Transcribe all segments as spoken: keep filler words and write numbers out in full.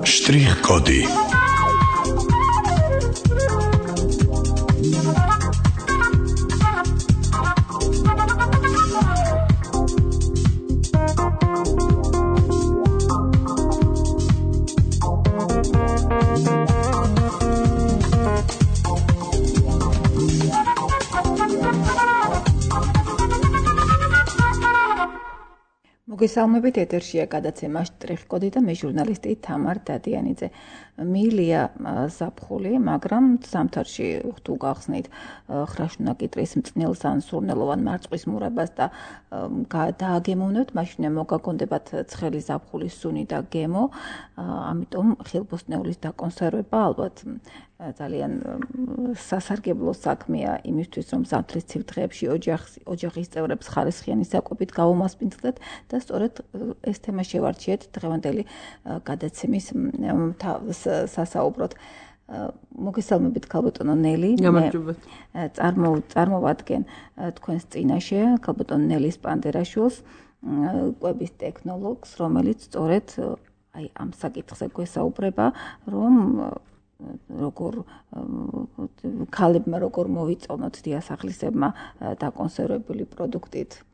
Штрих-коды. მოგესალმებით, ეთერშია გადაცემა შტრიხ-კოდი და მე ჟურნალისტი თამარ დადიანიძე. მიილია ზაფხული, მაგრამ ზამთარში თუ გახსნით ხრაშუნა კიტრის მწნილს ან სურნელოვან მარწყვის მურებას და დააგემოვნებთ, მაშინ მოგაგონდებათ ცხელი ზაფხულის სუნი და გემო, ამიტომ ხილბოსტნეულის დაკონსერვება ალბათ ძალიან სასარგებლო საქმეა იმისთვის, რომ ზამთრის ცივ დღეებში ოჯახის წევრებს ხარისხიანი საკვებით გავუმასპინძლეთ და სწორედ ეს თემა შევარჩიეთ დღევანდელი გადაცემის სასაუბროდ. მოგესალმებით ქალბატონო ნელი. გამარჯობათ. წარმოვადგენ თქვენს წინაშე ქალბატონ ნელის პანდერაშვილს, კვების ტექნოლოგს, რომელიც სწორედ აი ამ საკითხზე გვესაუბრება, რომ როგორ ქალებმა როგორ მოვიწონოთ დიასახლისებმა დაკონსერვებული პროდუქტით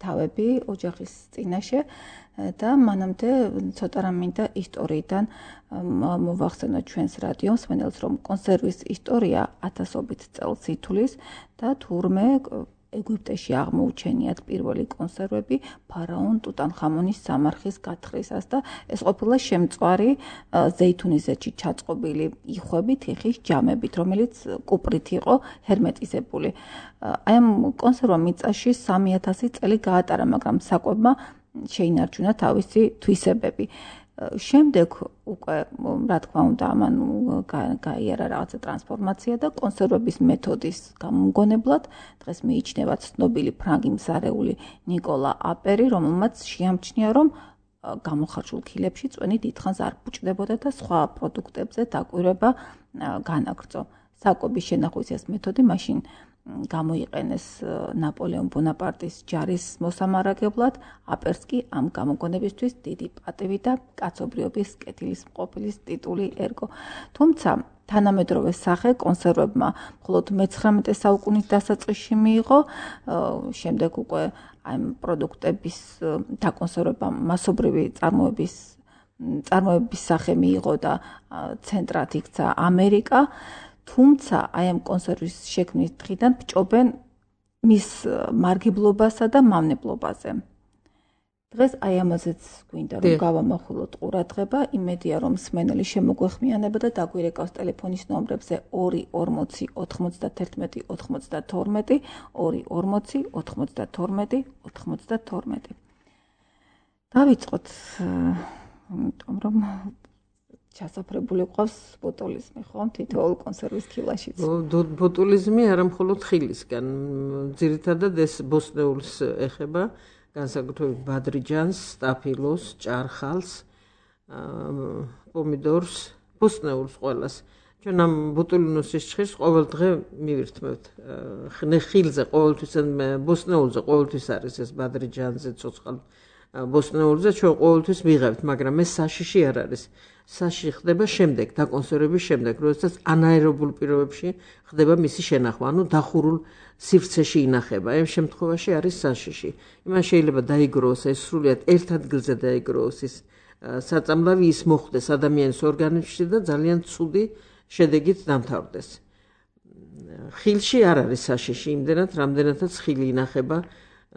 თავები ოჯახის წინაშე და მანამდე ცოტა რამ მინდა ისტორიიდან მოვახსენოთ ჩვენს რადიოს მსმენელს, რომ კონსერვის ისტორია ათასობით წელს ითვლის და თურმე ეგვიპტეში აღმოუჩენიათ პირველი კონსერვები ფარაონ ტუტანხამონის სამარხის გათხრისას და ეს ყოფილა შემწვარი ზეითუნისეთში ჩაწყობილი იხვები თიხის ჯამებით, რომელიც კუპრით იყო ჰერმეტიზებული. აი ამ კონსერვა მიწაში სამი ათასი წელი გაატარა, მაგრამ საკვებმა შეინარჩუნა თავისი თვისებები. შემდეგ უკვე რა თქმა უნდა ამან გაიარა რაღაცა ტრანსფორმაცია და კონსერვების მეთოდის გამომგონებლად დღეს მიიჩნევა ცნობილი ფრანგი მსარეული ნიკოლა აპერი, რომელმაც შეამჩნია, რომ გამოხარშულ ქილებში წვენი დიდხანს არ ბუჭდებოდა და სხვა პროდუქტებზე დაკვირვება განაგრძო. საკვების შენახვის ეს მეთოდი მაშინ გამოიყენეს ნაპოლეონ ბონაპარტის ჯარის მოსამარაგებლად, აპერს კი ამ გამოგონებისთვის დიდი პატივი და კაცობრიობის კეთილმყოფის ტიტული ერგო. თუმცა თანამედროვე სახე კონსერვებმა მხოლოდ მეცხრამეტე საუკუნის დასაწყისში მიიღო, შემდეგ უკვე ამ პროდუქტების დაკონსერვება მასობრივი წარმოების წარმოების სახე მიიღო და ცენტრად იქცა ამერიკა. თუმცა აი ამ კონსერვის შექმნის დღიდან ბჭობენ მის მარგებლობასა და მავნებლობაზე. დღეს აი ამაზეც გვინდა რომ გავამახვილოთ ყურადღება, იმედია რომ მსმენელი შემოგვეხმიანება და დაგვირეკავს ტელეფონის ნომრებზე ორი ორმოცი ოთხმოცდათერთმეტი ოთხმოცდათორმეტი, ორი ორმოცი ოთხმოცდათორმეტი ოთხმოცდათორმეტი. დავიწყოთ, იმიტომ რომ ჩასაფრებული ყავს ბოტულიზმი, ხო? თითოეულ კონსერვის ქილაშიც. ბოტულიზმი არა მხოლოდ ხილისგან, ძირითადად ეს ბოსტნეულს ეხება, განსაკუთრებით ბადრიჯანს, სტაფილოს, ჭარხალს, პომიდორს, ბოსტნეულს ყველას. ჩვენ ამ ბოტულინუსის ჭხირს ყოველ დღე მივირთმევთ. ხილზე ყოველთვის, ბოსტნეულზე ყოველთვის არის ეს ბადრიჯანზე, ცოცხალ ბოსტნეულზე ჩვენ ყოველთვის მიღებთ, მაგრამ ეს საშიში არ არის. საშიში ხდება შემდეგ, დაკონსერვების შემდეგ, როდესაც ანაერობულ პირობებში ხდება მისი შენახვა, ანუ დახურულ სივრცეში ინახება. ამ შემთხვევაში არის საშიში. იმან შეიძლება დაიგროვოს, ეს სრულიად ერთ ადგილზე დაიგროვოს ის საწამლავი, ის მოხვდეს ადამიანის ორგანიზმში და ძალიან ცუდი შედეგით დამთავრდეს. ხილში არ არის საშიში, იმდენად, რამდენადაც ხილი ინახება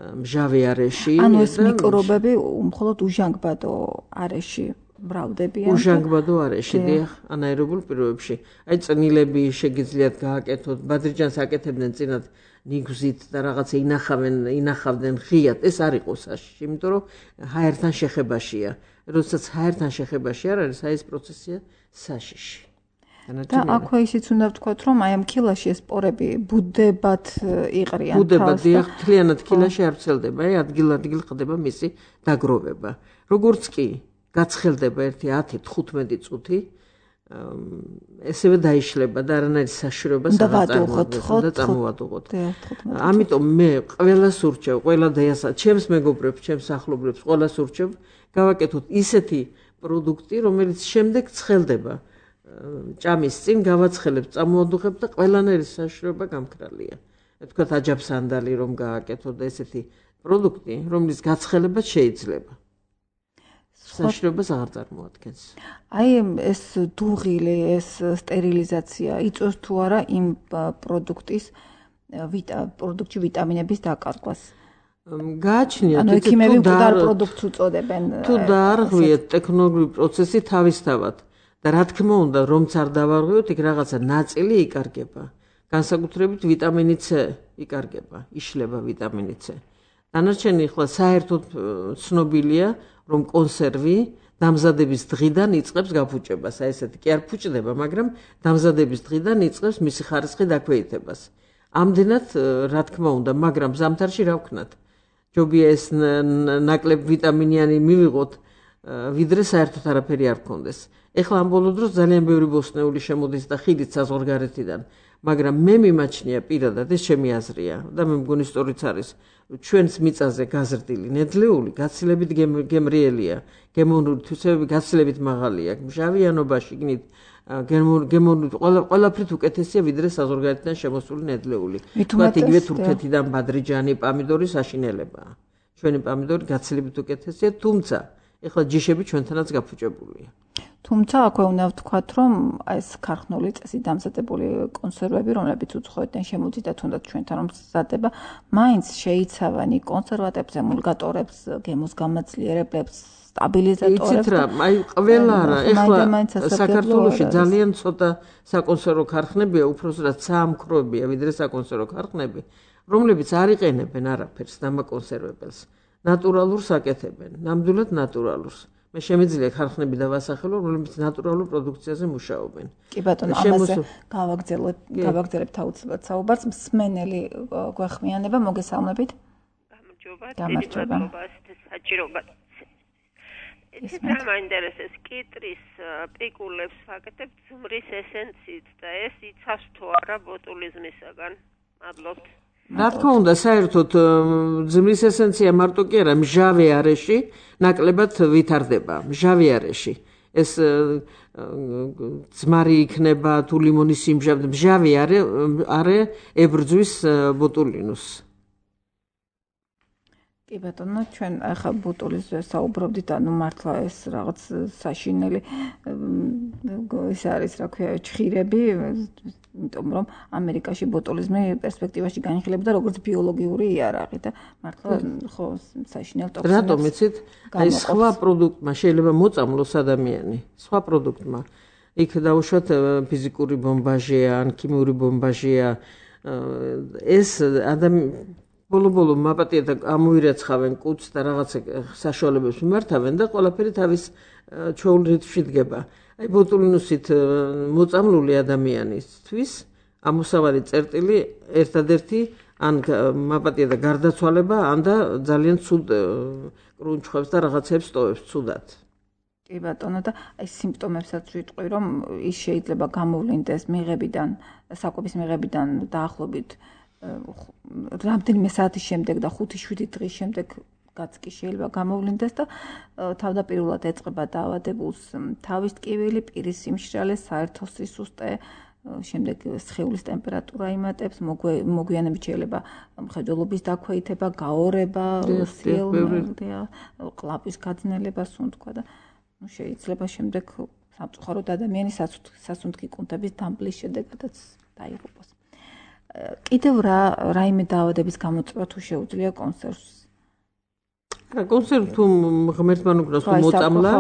მჟავე არეში. ანუ ეს მიკრობები მხოლოდ უჟანგბადო არეში მრავლდებიან. უჟანგბადო არეში, დიახ, ანაერობულ პირობებში. აი წნილები შეგიძლიათ გააკეთოთ, ბადრიჯანს აკეთებდნენ წინათ ნიგვზით და რაღაცა ინახავენ, ინახავდნენ ღიად. ეს არ იყო საშიში, იმიტომ რომ ჰაერთან შეხებაშია. როდესაც ჰაერთან შეხებაში არ არის, აი ეს პროცესია საშიში. და აქვე ისიც უნდა ვთქვათ, რომ აი ამ ქილაში ეს სპორები ბუდებად იყრიან თავს. ბუდებად, დიახ, მთლიანად ქილაში არ ვრცელდება, აი ადგილ-ადგილ ხდება მისი დაგროვება. როგორც კი გაცხელდება ერთი ათი თხუთმეტი წუთი, ესევე დაიშლება და არანაირი საშიშროებას არ წარმოადგენს და წამოვადუღოთ. ამიტომ მე ყველას ურჩევ, ყველა დიასახლისს, ჩემს მეგობრებს, ჩემს ახლობლებს, ყველას ურჩევ გავაკეთოთ ისეთი პროდუქტი, რომელიც შემდეგ ცხელდება. ჭამის წინ გავაცხელებთ, წამოვადუღებთ და ყველანაირი საშიშროება გამქრალია. თქვათ აჯაფსანდალი რომ გააკეთოთ და ესეთი პროდუქტი, რომლის გაცხელებაც შეიძლება. საშიშროებას აღარ წარმოადგენს. აი ეს დუღილი, ეს სტერილიზაცია იწვევს თუ არა იმ პროდუქტის პროდუქტში ვიტამინების დაკარგვას. გააჩნიათ ანუ ექიმები მკვდარ პროდუქტს უწოდებენ. თუ დაარღვიეთ ტექნოლოგიური პროცესი თავისთავად და რა თქმა უნდა, რომც არ დავარღვიოთ, იქ რაღაცა ნაწილი იკარგება. განსაკუთრებით ვიტამინი C იკარგება, იშლება ვიტამინი C. დანარჩენი ახლა საერთოდ ცნობილია, რომ კონსერვი დამზადების დღიდან იწყებს გაფუჭებას. აი ესეთი კი არ ფუჭდება, მაგრამ დამზადების დღიდან იწყებს მისი ხარისხი დაქვეითებას. ამდენად, რა თქმა უნდა, მაგრამ ზამთარში რა ვქნათ? ჯობია ეს ნაკლებ ვიტამინიანი მივიღოთ, ვიდრე საერთოდ არაფერი არ გქონდეს. ეხლა ამ ბოლო დროს ძალიან ბევრი ბოსტნეული შემოდის და ხიდით საზღვარგარეთიდან, მაგრამ მე მიმაჩნია პირადად, ეს ჩემი აზრია და მე მგონი სწორიც არის, ჩვენს მიწაზე გაზრდილი ნედლეული გაცილებით გემრიელია, გემოვნური თვისებები გაცილებით მაღალია, მჟავიანობაში გნით გემოვნური ყველაფრით უკეთესია ვიდრე საზღვარგარეთიდან შემოსული ნედლეული. თქვათ იგივე თურქეთიდან ბადრიჯანი, პამიდორი საშინელებაა. ჩვენი პამიდორი გაცილებით უკეთესია, თუმცა ეხლა ჯიშები ჩვენთანაც გაფუჭებულია. თუმცა აქვე უნდა ვთქვათ, რომ ეს ქარხნული წესით დამზადებული კონსერვები, რომლებიც უცხოეთიდან შემოდიდა თუნდაც ჩვენთან რომ მზადდება, მაინც შეიცავენ კონსერვატებს, ემულგატორებს, გემოს გამაძლიერებლებს, სტაბილიზატორებს. იცით რა, აი ყველა რა, ეხლა საქართველოში ძალიან ცოტა საკონსერვო ქარხნებია, უბრალოდ საამქროებია, ვიდრე საკონსერვო ქარხნები, რომლებიც არ იყენებენ არაფერს დამაკონსერვებელს. ნატურალურს აკეთებენ, ნამდვილად ნატურალურს. მე შემიძლია ქარხნები დავასახელო, რომლებიც ნატურალურ პროდუქციაზე მუშაობენ. კი ბატონო, ამაზე გავაგრძელებ, გავაგრძელებთ აუცილებლად საუბარს. მსმენელი გვეხმიანება, მოგესალმებით. გამარჯობა, გამარჯობა. საჭიროა. ეს მაინტერესებს კიტრის პიკულებს ვაკეთებ ძმრის ესენციით და ეს იცავს თუ არა ბოტულიზმისაგან. მადლობთ. რა თქმა უნდა, საერთოდ ძმრის ესენცია მარტო კი არა, მჟავე არეში ნაკლებად ვითარდება, მჟავე არეში. ეს ძმარი იქნება თუ ლიმონის სიმჟავე, მჟავე არე არე ებრძვის ბოტულინუს. კი ბატონო, ჩვენ ახლა ბოტულიზმზე საუბრობდით, ანუ მართლა ეს რაღაც საშინელი ეს არის, რა ქვია, ჩხირები, იმიტომ რომ ამერიკაში ბოტულიზმი პერსპექტივაში განიხილებოდა როგორც ბიოლოგიური იარაღი და მართლა ხო საშინელ ტოქსინებს. რატომ იცით? აი სხვა პროდუქტმა შეიძლება მოწამლოს ადამიანი, სხვა პროდუქტმა. იქ დაუშვათ ფიზიკური ბომბაჟია, ან ქიმიური ბომბაჟია. ეს ადამიანი ბოლო-ბოლო მაპატია და ამოირაცხავენ კუც და რაღაცა საშუალებებს მიმართავენ და ყველაფერი თავის ჩვეულ რიტმში დგება. აი ბოტულინუსით მოწამლული ადამიანისთვის ამოსავალი წერტილი ერთადერთი ან მაპატია და გარდაცვალება, ან და ძალიან ცუდ კრუნჩხვებს და რაღაცებს ტოვებს ცუდად. კი ბატონო, და აი სიმპტომებსაც ვიტყვი, რომ ის შეიძლება გამოვლინდეს მიღებიდან, საკვების მიღებიდან დაახლოებით რამდენიმე საათის შემდეგ და ხუთი შვიდი დღის შემდეგაც კი შეიძლება გამოვლინდეს და თავდაპირველად ეწყება დაავადებულს თავის ტკივილი, პირის სიმშრალე, საერთო სისუსტე, შემდეგ სხეულის ტემპერატურა იმატებს, მოგვიანებით შეიძლება მხედველობის დაქვეითება, გაორება, სიელმელდია, ყლაპის გაძნელება, სუნთქვა და შეიძლება შემდეგ სამწუხაროდ ადამიანის სასუნთქი კუნთების დამბლის შედეგადაც დაიღუპოს. კიდევ რა რაიმე დაავადების გამოწვევა თუ შეუძლია კონსერვს? რა კონსერვ თუ ღმერთმა უკრავს თუ მოწამლა,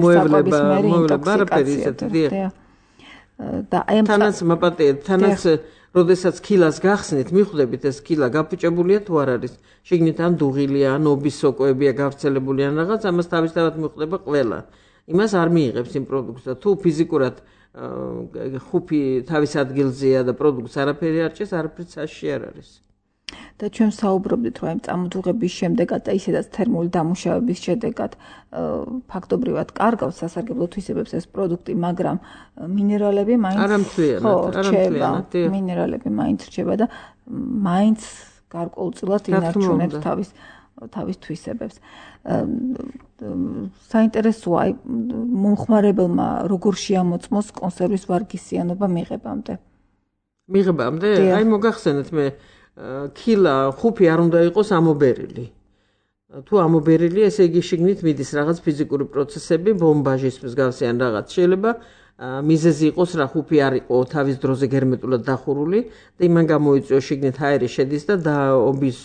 მოევლება, მოევლება არაფერი ისეთი. და აი თანაც მაპატია, თანაც როდესაც ქილას გახსნით, მიხვდებით ეს ქილა გაფუჭებულია თუ არ არის. შიგნით ან დუღილია, ან ობის სოკოებია გავრცელებული ან რაღაც, ამას თავისთავად მიხვდება ყველა. იმას არ მიიღებს იმ პროდუქტს და თუ ფიზიკურად ხუფი თავის ადგილზეა და პროდუქტს არაფერი არ ჭერს, არაფრით საშიში არ არის. და ჩვენ საუბრობდით, რომ აი წამოძუღების შემდეგაც და ისედაც თერმული დამუშავების შედეგად ფაქტობრივად კარგავს სასარგებლო თვისებებს ეს პროდუქტი, მაგრამ მინერალები მაინც არ ამთვლიანად, არ ამთვლიანად. მინერალები მაინც რჩება და მაინც გარკვეულწილად ინარჩუნებს თავის თავის თვისებებს. საინტერესოა აი მომხმარებელმა როგორ შეამოწმოს კონსერვის ვარგისიანობა მიღებამდე. მიღებამდე? აი მოგახსენეთ მე ქილა ხუფი არ უნდა იყოს ამობერილი. თუ ამობერილი, ესე იგი შიგნით მიდის რაღაც ფიზიკური პროცესები, ბომბაჟის მსგავსი ან რაღაც. შეიძლება მიზეზი იყოს რა ხუფი არ იყო თავის დროზე გერმეტულად დახურული და იმან გამოიწვიოს შიგნით აერი შედის და ობის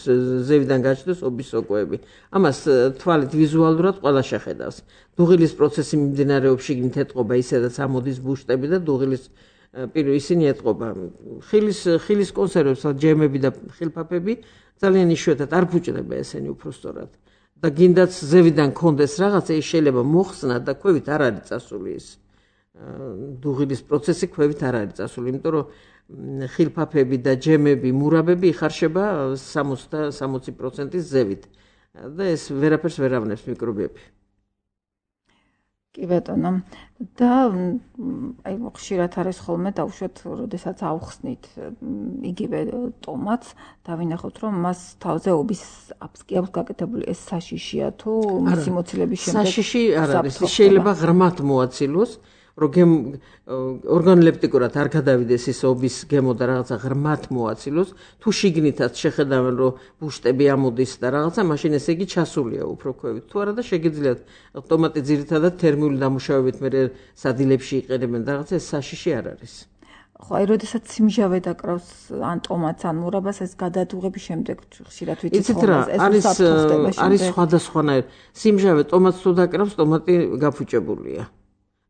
ზევიდან გაჩნდეს ობის სოკოები. ამას თვალით ვიზუალურად ყველა შეხედავს. დუღილის პროცესი მიმდინარეობს შიგნით ეტყობა ისედაც ამოდის ბუშტები და დუღილის პირო ისინი ეტყობა. ხილის ხილის კონსერვებს, ჯემები და ხილფაფები ძალიან იშვიათად არ ფუჭდება ესენი უფრო სწორად. და გინდაც ზევიდან კონდეს რაღაცა, ის შეიძლება მოხსნა და ქვევით არ არის წასული ის. დუღილის პროცესი ქვევით არ არის წასული, იმიტომ რომ ხილფაფები და ჯემები, მურაბები იხარშება სამოცი პროცენტის ზევით და ეს ვერაფერს ვერ ავნებს მიკრობები. კი ბატონო. და აი ხშირად არის ხოლმე დავუშვათ, როდესაც ავხსნით იგივე ტომატს, დავინახოთ, რომ მას თავზე ობის აფსკი აქვს გაკეთებული. ეს საშიშია თუ მისი მოცილების შემდეგ? საშიში არ არის, შეიძლება ღრმად მოაცილოს. რომ ორგანოლეპტიკურად არ გადავიდეს ის ობის გემო და რაღაცა ღრმად მოაცილოს, თუ შიგნითაც შეხედავენ რომ ბუშტები ამოდის და რაღაცა, მაშინ ესე იგი ჩასულია უფრო ქვევით. თუ არა და შეგიძლიათ ტომატი ძირითადად თერმიული დამუშავებით მე სადილებში იყენებენ და რაღაცა, ეს საშიში არ არის. ხო, აი როდესაც სიმჟავე დაკრავს ან ტომატს ან მურაბას, ეს გადადუღების შემდეგ ხშირად ვიცით ხოლმე ეს საფრთხდება. არის სხვადასხვანაირ. სიმჟავე ტომატს თუ დაკრავს, ტომატი გაფუჭებულია.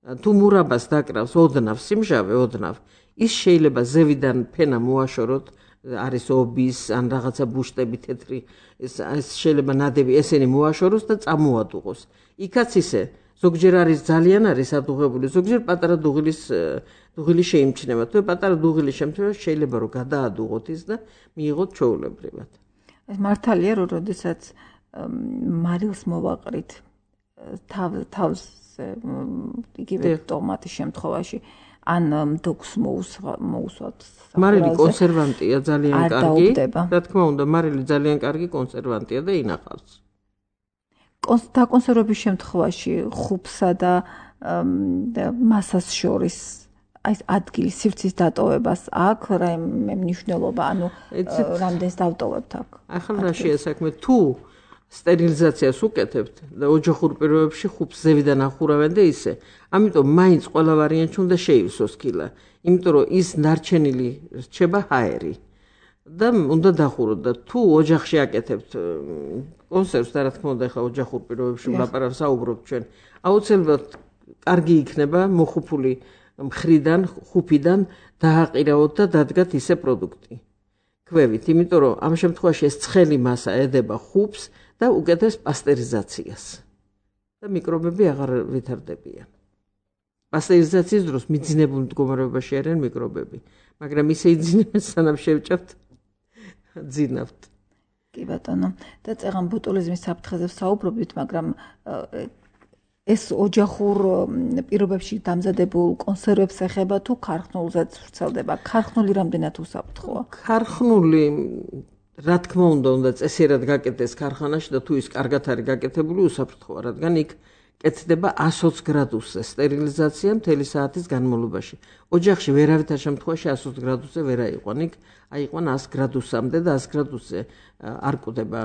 თუ მურაბას დაკრავს ოდნავ სიმჟავე ოდნავ, ის შეიძლება ზევიდან ფენა მოაშოროთ, არის ობის ან რაღაცა ბუშტები თეთრი, ეს შეიძლება ნადები ესენი მოაშოროს და წამოადუღოს. იქაც ისე, ზოგჯერ არის ძალიან არის ადუღებული, ზოგჯერ პატარა დუღილის დუღილი შეიმჩნევა. თუ პატარა დუღილის შემთხვევაში შეიძლება რომ გადაადუღოთ ის და მიიღოთ ჩვეულებრივად. ეს მართალია რომ როდესაც მარილს მოვაყრით თავს იგივე ტომატის შემთხვევაში ან დოქს მოუსვათ. მარილი კონსერვანტია ძალიან კარგი. რა თქმა უნდა, მარილი ძალიან კარგი კონსერვანტია და ინახავს. დაკონსერვების შემთხვევაში ხუფსა და მასას შორის აი ადგილის სივრცის დატოვებას აქვს რაიმე მნიშვნელობა, ანუ რამდენს დავტოვებთ აქ? ახლა რა შეასაქმე თუ სტერილიზაციას უკეთებთ და ოჯახურ პირობებში ხუფს ზევიდან ახურავენ და ისე. ამიტომ მაინც ყველა ვარიანტი უნდა შეივსოს ქილა. იმიტომ რომ ის ნარჩენილი რჩება ჰაერი. და უნდა დახუროთ და თუ ოჯახში აკეთებთ კონსერვს და რა თქმა უნდა ახლა ოჯახურ პირობებში ვლაპარაკობ საუბრობ ჩვენ. აუცილებლად კარგი იქნება მოხუფული მხრიდან, ხუფიდან დააყირავოთ და დადგათ ისე პროდუქტი. ქვევით, იმიტომ რომ ამ შემთხვევაში ეს ცხელი მასა ედება ხუფს და უკეთებს პასტერიზაციას და მიკრობები აღარ ვითარდებიან. პასტერიზაციის დროს მიძინებულ მდგომარეობაში არიან მიკრობები, მაგრამ ისე იძინებენ სანამ შევჭამთ ძინავთ. კი ბატონო, და წეღან ბოტულიზმის საფრთხეზე ვსაუბრობთ, მაგრამ ეს ოჯახურ პირობებში დამზადებულ კონსერვებს ეხება თუ ქარხნულზეც ვრცელდება? ქარხნული რამდენად უსაფრთხოა? ქარხნული რა თქმა უნდა, უნდა წესიერად გაკეთდეს ქარხანაში და თუ ის კარგად არის გაკეთებული, უსაფრთხოა, რადგან იქ კეთდება ათს ოცი გრადუსზე სტერილიზაცია მთელი საათის განმავლობაში. ოჯახში ვერავითარ შემთხვევაში ათს ოცი გრადუსზე ვერ აიყვან, იქ აიყვან ათს გრადუსამდე და ათს გრადუსზე არ კვდება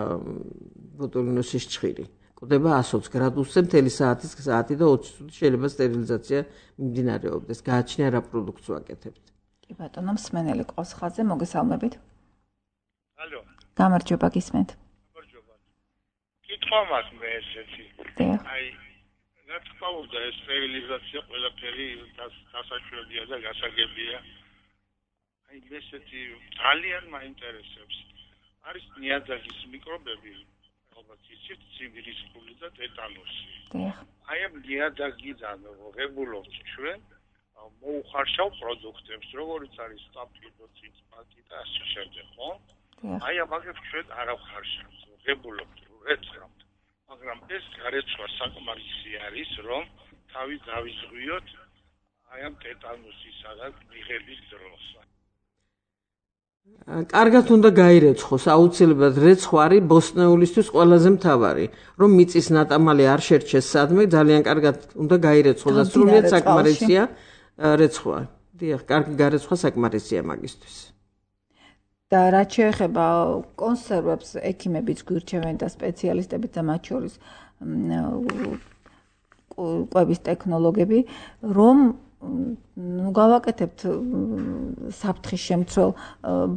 ბოტულინუსის ჭხირი. კვდება ათს ოცი გრადუსზე მთელი საათის საათი და ოცი წუთი შეიძლება სტერილიზაცია მიმდინარეობდეს. გააჩნია რა პროდუქტს ვაკეთებთ. კი ბატონო, მსმენელი ყავს ხაზზე, მოგესალმებით. ალო. გამარჯობა, გისმენთ. გამარჯობა. კითხვა მაქვს მე ესეთი. აი, რა თქმა უნდა, ეს სტერილიზაცია ყველაფერი გასაშვებია და გასაგებია. აი, ესეთი ძალიან მაინტერესებს. არის ნიადაგის მიკრობები, ალბათ იცით, ცივირისხული და ტეტანუსი. აი, ამ ნიადაგიდან ღებულობთ ჩვენ მოუხარშავ პროდუქტებს, როგორიც არის სტაფილო, ციცმაკი და ასე შემდეგ, ხო? აი, ამაგებს ჩვენ არ ავხარშავთ, ღებულობთ, ეცხრამთ. მაგრამ ეს გარეცვა საკმარისი არის, რომ თავი დავიზღვიოთ აი ამ ტეტანუსისა და მიღების დროს. კარგად უნდა გაირეცხოს, აუცილებლად რეცხვა არის ბოსტნეულისთვის ყველაზე მთავარი, რომ მიწის ნატამალი არ შერჩეს სადმე, ძალიან კარგად უნდა გაირეცხოს და სრულიად საკმარისია რეცხვა. დიახ, კარგი გარეცხვა საკმარისია მაგისთვის. და რაც შეეხება კონსერვებს, ექიმებიც გვირჩევენ და სპეციალისტებიც და მათ შორის კვების ტექნოლოგები, რომ ნუ გავაკეთებთ საფრთხის შემცველ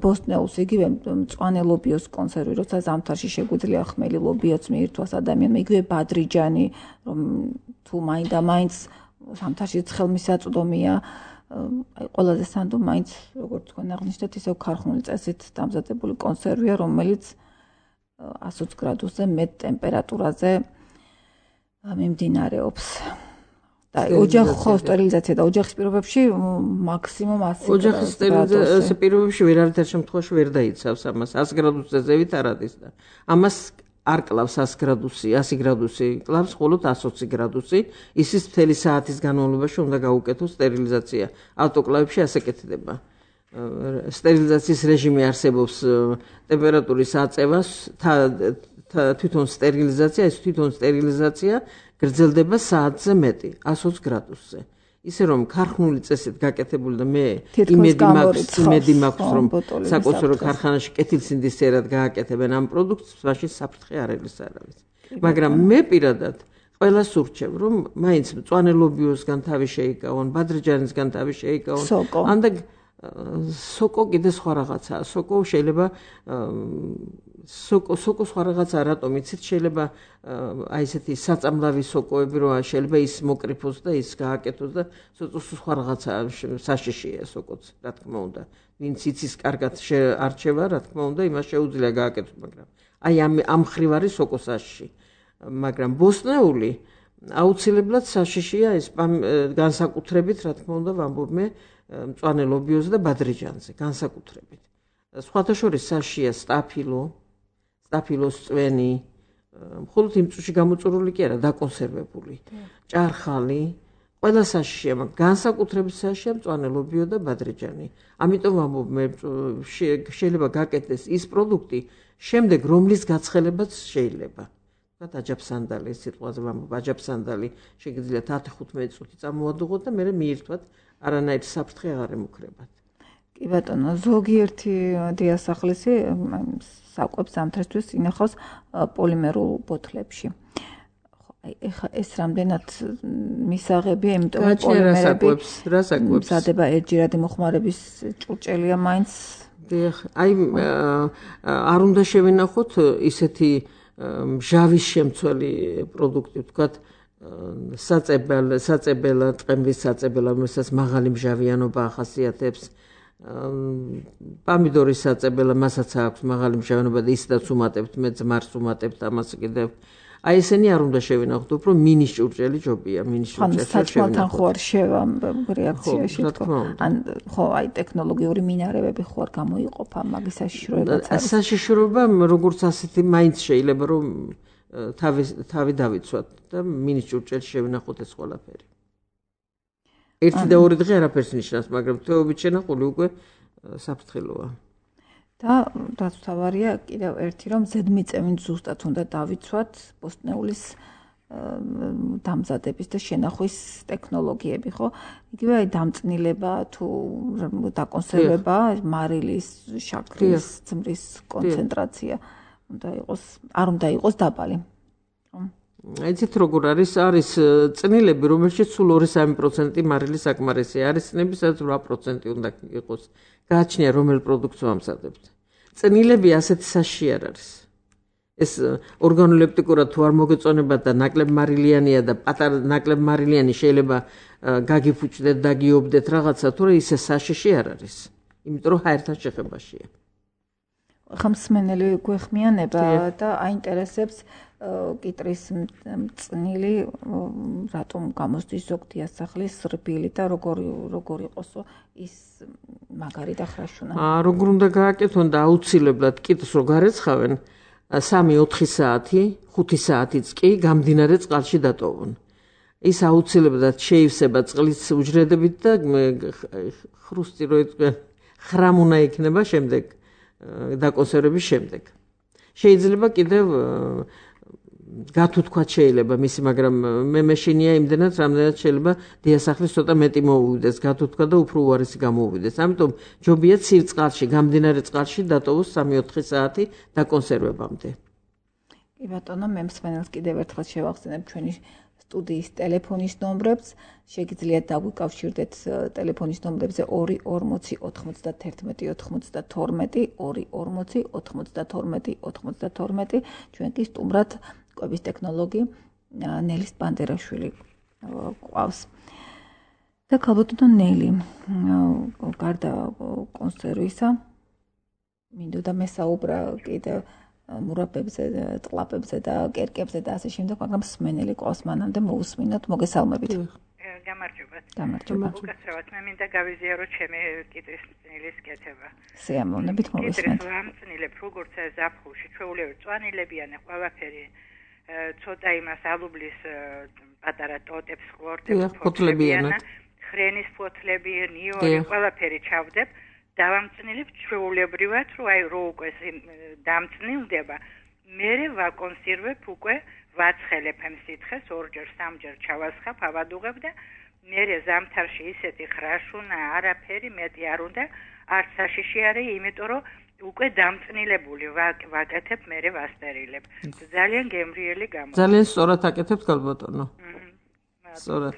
ბოსტნეულს, იგივე მწვანე ლობიოს კონსერვი, როცა ზამთარში შეგვიძლია ხმელი ლობიოც მიირთვას ადამიანმა, იგივე ბადრიჯანი, რომ თუ მაინდა-მაინც ზამთარში ცხელმისაწვდომია, აი ყველაზე სანდო მაინც როგორც თქვენ აღნიშნეთ, ისევ ქარხნული წესით დამზადებული კონსერვია, რომელიც ათი ოცი გრადუსზე მეტ ტემპერატურაზე მიმდინარეობს. და ოჯახო სტერილიზაცია და ოჯახის პირობებში მაქსიმუმ ასი გრადუსი. ოჯახის სტერილიზაციის პირობებში ვერავითარ შემთხვევაში ვერ დაიცავს ამას. ათი გრადუსზე ზევით არ არის და ამას არ კლავს ათი გრადუსი, ასი გრადუსი, კლავს მხოლოდ ათი ოცი გრადუსი. ისიც მთელი საათის განმავლობაში უნდა გაუკეთოს სტერილიზაცია. ავტოკლავებში ასე კეთდება. სტერილიზაციის რეჟიმი არსებობს ტემპერატურის აწევას, თვითონ სტერილიზაცია, ეს თვითონ სტერილიზაცია გრძელდება საათზე მეტი, ათი ოცი გრადუსზე. ისე რომ ქარხნული წესით გაკეთებული და მე იმედი მაქვს, იმედი მაქვს რომ საკონსერვო ქარხანაში კეთილსინდისიერად გააკეთებენ ამ პროდუქტს, მაშინ საფრთხე არ ელის არავის. მაგრამ მე პირადად ყველას ურჩევ, რომ მაინც მწვანე ლობიოსგან თავი შეიკავონ, ბადრიჯანისგან თავი შეიკავონ, ანდა სოკო კიდე სხვა რაღაცაა. სოკო შეიძლება სოკო სოკო სხვა რაღაცაა, რატომ იცით, შეიძლება აი ესეთი საწამლავი სოკოები რო შეიძლება ის მოკრიფოს და ის გააკეთოს და სხვა რაღაცაა, საშიშია სოკოც, რა თქმა უნდა. ვინც იცის კარგად არჩევა, რა თქმა უნდა, იმას შეუძლია გააკეთოს, მაგრამ აი ამ ამ ხრივ არის სოკო საშიში. მაგრამ ბოსტნეული აუცილებლად საშიშია ეს განსაკუთრებით, რა თქმა უნდა, ვამბობ მე მწვანე ლობიოზე და ბადრიჯანზე, განსაკუთრებით. სხვათა შორის საშიშია სტაფილო, სტაფილოს წვენი, მხოლოდ იმ წუთში გამოწურული კი არა, დაკონსერვებული, ჭარხალი, ყველა საშიშია, მაგრამ განსაკუთრებით საშიშია მწვანე ლობიო და ბადრიჯანი. ამიტომ ვამბობ მე შეიძლება გაკეთდეს ის პროდუქტი, შემდეგ რომლის გაცხელებაც შეიძლება. ვთქვათ, აჯაფსანდალი, სიტყვაზე ვამბობ, აჯაფსანდალი შეგიძლიათ ათი ხუთმეტი წუთი წამოადუღოთ და მერე მიირთვათ, არანაირი საფრთხე აღარ ემუქრებათ. კი ბატონო, ზოგიერთი დიასახლისი საკვებს ზამთარისთვის ინახავს პოლიმერულ ბოთლებში. ეხა ეს რამდენად მისაღებია, იმიტომ რომ პოლიმერები მზადება ერთჯერადი მოხმარების ჭურჭელია მაინც. აი არ უნდა შევინახოთ ისეთი ჟავის შემცველი პროდუქტი, ვთქვათ, საწებელ საწებელა ტყემლის საწებელა, რომელსაც მაღალი მჟავიანობა ახასიათებს. პამიდორის საწებელა, მასაც აქვს მაღალი მჟავიანობა და ისედაც უმატებთ, მე ძმარს უმატებთ ამას კიდევ. აი ესენი არ უნდა შევინახოთ, უფრო მინის ჭურჭელი ჯობია, მინის ჭურჭელი შევინახოთ. საჭმელთან ხო არ შევა რეაქციაში თქო. ან ხო, აი ტექნოლოგიური მინარევები ხო არ გამოიყოფა მაგის საშიშროებაც არის. საშიშროება როგორც ასეთი მაინც შეიძლება რომ თავი თავი დავიცვათ და მინის ჭურჭელი შევინახოთ ეს ყველაფერი. ერთი და ორი დღე არაფერს ნიშნავს, მაგრამ თეობით შენახული უკვე საფრთხელოა. და რაც თავარია კიდევ ერთი რომ ზედმიწევით ზუსტად უნდა დავიცვათ ბოსტნეულის დამზადების და შენახვის ტექნოლოგიები, ხო? იგივე აი დამწნილება თუ დაკონსერვება, მარილის, შაქრის, ძმრის კონცენტრაცია უნდა იყოს, არ უნდა იყოს დაბალი. იცით როგორ არის, არის წნილები, რომელშიც სულ ორი სამი პროცენტი მარილი საკმარისია, არის წნები, სადაც რვა პროცენტი უნდა იყოს. გააჩნია რომელ პროდუქტს ვამზადებთ. წნილები ასეთი საშიში არ არის. ეს ორგანოლეპტიკურად თუ არ მოგეწონებათ და ნაკლებ მარილიანია და პატარა ნაკლებ მარილიანი შეიძლება გაგიფუჭდეთ, დაგიობდეთ რაღაცა, თორე ისე საშიში არ არის. იმიტომ რომ ჰაერთან შეხებაშია. ხმსმენელი გვეხმიანება და აინტერესებს კიტრის მწნილი რატომ გამოსდის ზოგ დიასახლის რბილი და როგორი როგორ იყოსო ის მაგარი და ხრაშუნა. აა როგორ უნდა გააკეთონ და აუცილებლად კიტს რო გარეცხავენ სამი ოთხი საათი, ხუთი საათიც კი გამდინარე წყალში დატოვონ. ის აუცილებლად შეივსება წყლის უჯრედებით და ხრუსტი რო იტყვიან ხრამ უნდა იქნება შემდეგ დაკონსერვების შემდეგ. შეიძლება კიდევ გათუთქვა შეიძლება მისი, მაგრამ მე მეშინია იმდენად, რამდენად შეიძლება დიასახლის ცოტა მეტი მოუვიდეს, გათუთქვა და უფრო უარესი გამოუვიდეს. ამიტომ ჯობია ცივ წყალში, გამდინარე წყალში დატოვოს სამი ოთხი საათი დაკონსერვებამდე. კი ბატონო, მე მსმენელს კიდევ ერთხელ შევახსენებ ჩვენი სტუდიის ტელეფონის ნომრებს. შეგიძლიათ დაგვიკავშირდეთ ტელეფონის ნომრებზე ორი ორმოცი ოთხმოცდათერთმეტი ოთხმოცდათორმეტი, ორი ორმოცი ოთხმოცდათორმეტი ოთხმოცდათორმეტი. ჩვენ კი სტუმრად კვების ტექნოლოგი ნელის ბანდერაშვილი ყავს. და ქალბატონო ნელი, გარდა კონსერვისა, მინდოდა მესაუბრა კიდევ მურაბებზე, ტყლაპებზე და კერკებზე და ასე შემდეგ, მაგრამ მსმენელი ყავს, მანამდე მოусმინოთ, მოგესალმებით. გამარჯობათ. გამარჯობათ. უკაცრავად მე მინდა გავიზიარო ჩემი კიტრის მწნილის კეთება. სიამოვნებით მოვისმენთ. კიტრის ვამწნილებ, როგორც ზაფხულში, ჩვეულებრივ წვანილებიანი ყველაფერი, ცოტა იმას ალუბლის პატარა ტოტებს, ყლორტებს, ფოთლებიანად, ხრენის ფოთლები, ნიორი, ყველაფერი ჩავდებ. დავამწნილებ ჩვეულებრივად, რომ აი რო უკვე დამწნილდება, მერე ვაკონსერვებ უკვე ვაცხელებ ამ სითხეს, ორჯერ, სამჯერ ჩავასხავ, ავადუღებ და მერე ზამთარში ისეთი ხრაშუნა, არაფერი მეტი არ უნდა, არც საშიში არის, იმიტომ რომ უკვე დამწნილებული ვაკეთებ, მერე ვასტერილებ. ძალიან გემრიელი გამოდის. ძალიან სწორად აკეთებთ ქალბატონო. სწორად.